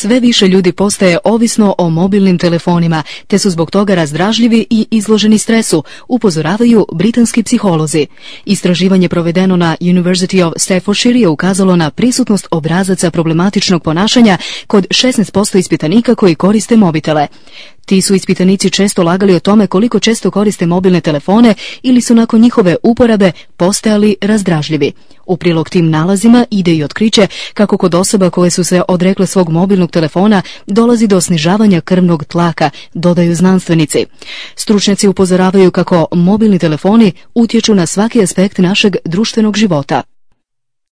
Sve više ljudi postaje ovisno o mobilnim telefonima, te su zbog toga razdražljivi i izloženi stresu, upozoravaju britanski psiholozi. Istraživanje provedeno na University of Staffordshire je ukazalo na prisutnost obrazaca problematičnog ponašanja kod 16% ispitanika koji koriste mobitele. Ti su ispitanici često lagali o tome koliko često koriste mobilne telefone ili su nakon njihove uporabe postajali razdražljivi. U prilog tim nalazima ide i otkriće kako kod osoba koje su se odrekle svog mobilnog telefona dolazi do snižavanja krvnog tlaka, dodaju znanstvenici. Stručnjaci upozoravaju kako mobilni telefoni utječu na svaki aspekt našeg društvenog života.